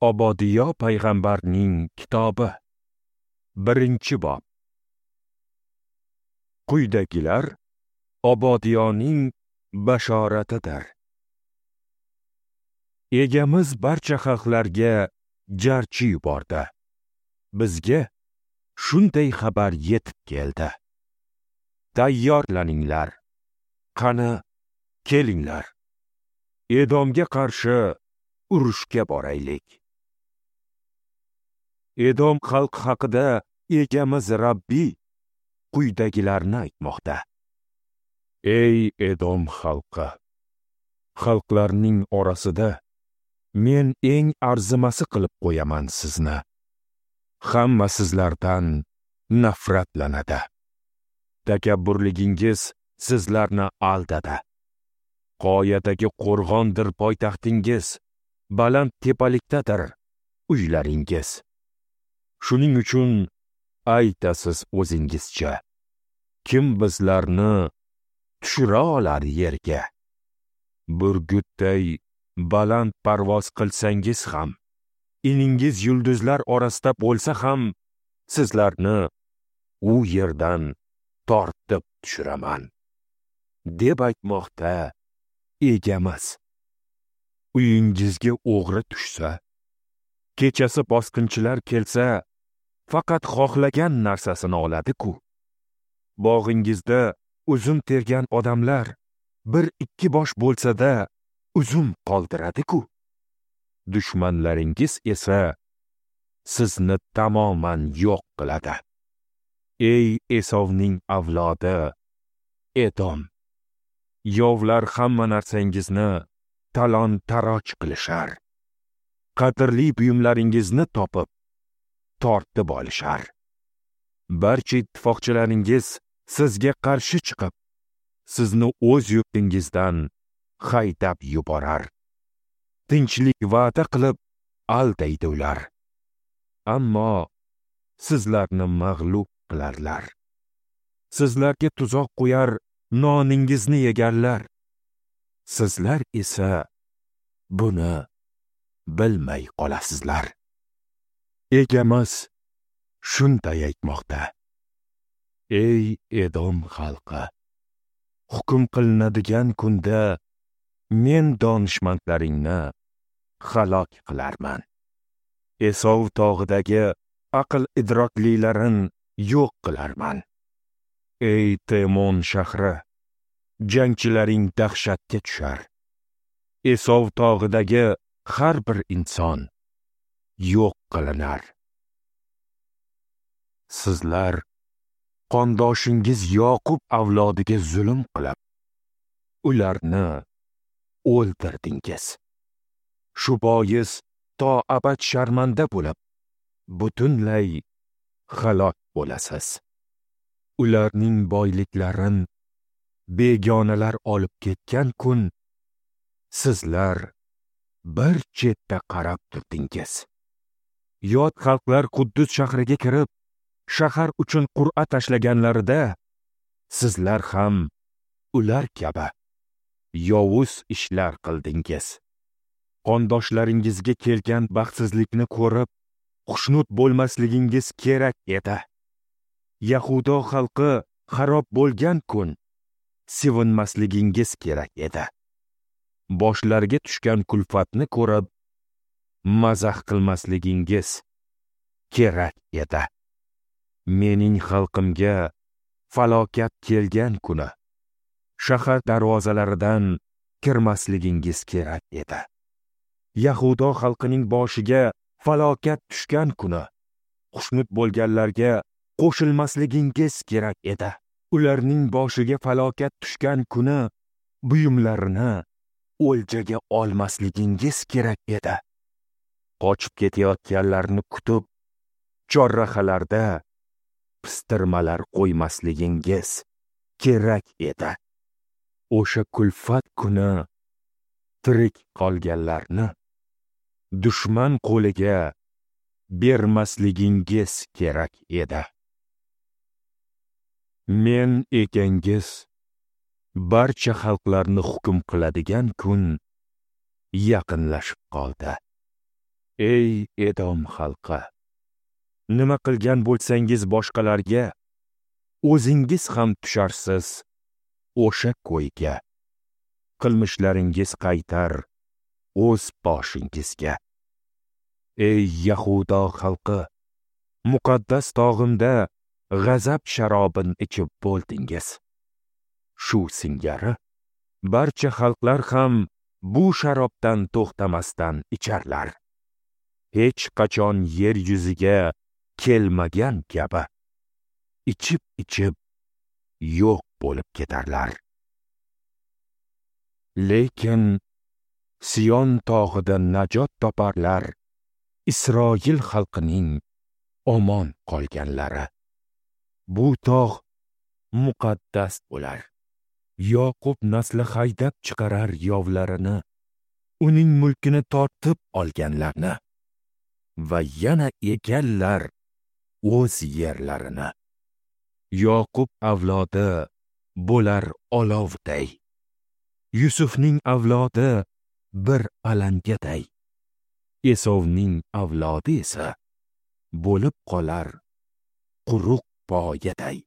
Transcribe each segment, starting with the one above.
Obodiyo payg'ambarning kitobi, 1-bob. Quyidagilar Obodiyoning bashoratidir. Egamiz barcha xalqlarga jarchi yubordi. Bizga shunday xabar yetib keldi. Tayyorlaninglar. Qani, kelinglar. Edomga qarshi urushga boraylik. Edom xalqi haqida egamiz Rabbiy quyidagilarni aytmoqda. Ey Edom xalqi, xalqlarning orasida men eng arzimasi qilib qo'yaman sizni. Hamma sizlardan nafratlanadi. Takabburligingiz sizlarni aldadi. Qoyadagi qo'rg'ondir poytaxtingiz, baland tepalikdadir uylaringiz. Shuning uchun aytasiz o'zingizcha: kim bizlarni tushira olar yerga? Burgutday baland parvoz qilsangiz ham, iningiz yulduzlar orasida bo'lsa ham, sizlarni u yerdan tortib tushiraman, deb aytmoqda egamiz. Uyingizga o'g'ri tushsa, kechasi bosqinchilar kelsa, faqat xohlagan narsasini oladi-ku. Bog'ingizda uzum tergan odamlar bir ikki bosh bo'lsa-da uzum qoldiradi-ku. Dushmanlaringiz esa sizni tamoman yo'q qiladi. Ey Esovning avlodi, Edom, yovlar hamma narsangizni talon-taroj qilishar. Qadrli buyumlaringizni topib, tortib olishar. Barcha ittifoqchilaringiz sizga qarshi chiqib, sizni o'z yurtingizdan haydab yuborar. Tinchlik va'da qilib aldaydi ular. Ammo sizlarni mag'lub qilarlar. Sizlarga tuzoq qo'yar, noningizni yegarlar. Sizlar esa buni bilmay qolasizlar. Egamiz shunday aytmoqda: Ey Edom xalqi, hukm qilinadigan kunda men donishmandlaringni halok qilarman. Esov tog'idagi aql idroklilarin yo'q qilarman. Ey Temon shahri, jangchilaring dahshatga tushar. Esov tog'idagi har bir inson yo'q qilinar. Sizlar qondoshingiz Yoqub avlodiga zulm qilib, ularni o'ldirdingiz. Shu bois to abad sharmanda bo'lib, butunlay halok bo'lasiz. Ularning boyliklarini begonalar olib ketgan kun sizlar bir chetda qarab turdingiz. Yot xalqlar Quddus shahriga kirib, shahar uchun qur'a tashlaganlarida sizlar ham ular kabi yovuz ishlar qildingiz. Qondoshlaringizga kelgan baxtsizlikni ko'rib, xushnud bo'lmasligingiz kerak edi. Yahudo xalqi xarob bo'lgan kun sevinmasligingiz kerak edi. Boshlariga tushgan kulfatni ko'rib, mazax qilmasligingiz kerak edi. Mening xalqimga falokat kelgan kuni shahar darvozalaridan kirmasligingiz kerak edi. Yahudo xalqining boshiga falokat tushgan kuni xushnud bo'lganlarga qo'shilmasligingiz kerak edi. Ularning boshiga falokat tushgan kuni buyumlarini o'ljaga olmasligingiz kerak edi. Qochib ketayotganlarni kutib, chorrahalarda pistirmalar qo'ymasligingiz kerak edi. O'sha kulfat kuni tirik qolganlarni dushman qo'liga bermasligingiz kerak edi. Men ekangiz barcha xalqlarni hukm qiladigan kun yaqinlashib qoldi. Ey Edom xalqi, nima qilgan bo'lsangiz boshqalarga, o'zingiz ham tusharsiz o'sha ko'yga. Qilmishlaringiz qaytar o'z boshingizga. Ey Yahudo xalqi, muqaddas tog'imda g'azab sharobini ichib bo'ldingiz. Shu singari barcha xalqlar ham bu sharobdan to'xtamasdan icharlar. Hech qachon yer yuziga kelmagan kabi ichib-ichib yo'q bo'lib ketarlar. Lekin Sion tog'ida najot toparlar Isroil xalqining omon qolganlari. Bu tog' muqaddas bo'lar. Yoqub nasli haydab chiqarar yovlarini, uning mulkini tortib olganlarni va yana egallar o'z yerlarini. Yoqub avlodi bo'lar olovday, Yusufning avlodi bir alangaday, Esovning avlodi esa bo'lib qolar quruq poyaday.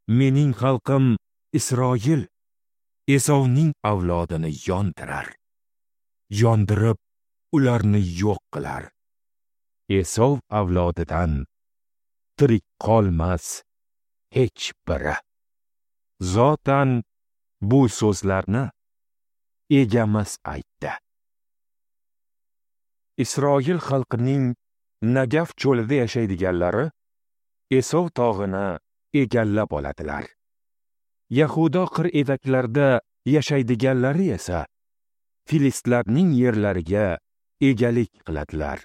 Mening xalqim Isroil Esovning avlodini yondirar, yondirib ularni yo'q qilar. Esov avlodidan tirik qolmas hech biri. Zotan bu so'zlarni Egamiz aytdi. Isroil xalqining Nagaf cho'lida yashaydiganlari Esov tog'ini egallab oladilar. Yahudo qir etaklarida yashaydiganlari esa Filistlarning yerlariga egalik qiladilar.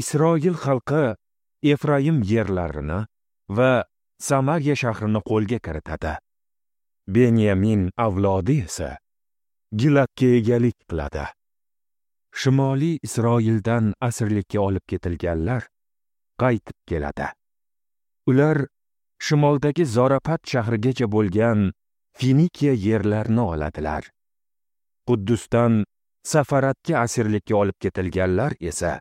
Isroil xalqi Efraim yerlarini va Samariya shahrini qo'lga kiritadi. Benyamin avlodi esa Giladga egalik qiladi. Shimoliy Isroildan asirlikka olib ketilganlar qaytib keladi. Ular shimoldagi Zorapat shahrigacha bo'lgan Finikiya yerlarini oladilar. Quddusdan Safaratga asirlikka olib ketilganlar esa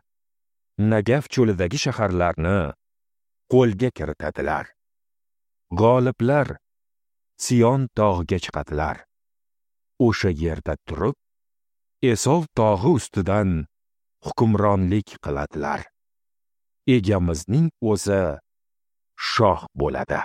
Nagaf cho'lidagi shaharlarni qo'lga kiritadilar. G'oliblar Sion tog'iga chiqadilar. O'sha yerda turib, Esov tog'i ustidan hukmronlik qiladilar. Egamizning o'zi shoh bo'ladi.